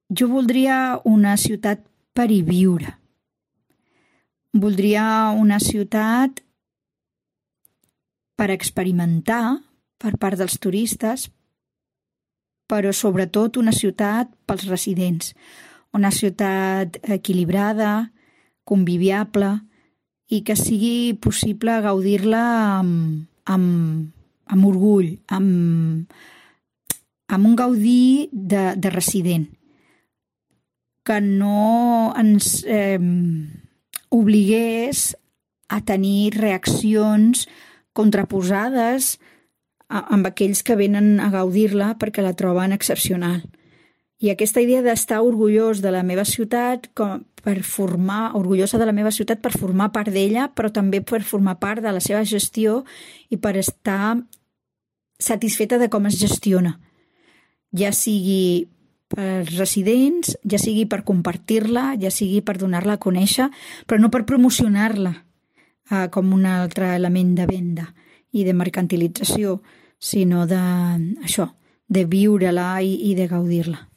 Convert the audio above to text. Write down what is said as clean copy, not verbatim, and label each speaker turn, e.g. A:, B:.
A: Jo voldria una ciutat per hi viure. Voldria una ciutat per experimentar per part dels turistes, però sobretot una ciutat pels residents. Una ciutat equilibrada, conviviable i que sigui possible gaudir-la amb orgull, amb un gaudí de resident, que no ens obligués a tenir reaccions contraposades amb aquells que venen a gaudir-la perquè la troben excepcional. I aquesta idea d'estar orgullós de la meva ciutat, orgullosa de la meva ciutat per formar part d'ella, però també per formar part de la seva gestió i per estar satisfeta de com es gestiona. Ja sigui per residents, ja sigui per compartir-la, ja sigui per donar-la a conèixer, però no per promocionar-la com un altre element de venda i de mercantilització, sinó de viure-la i de gaudir-la.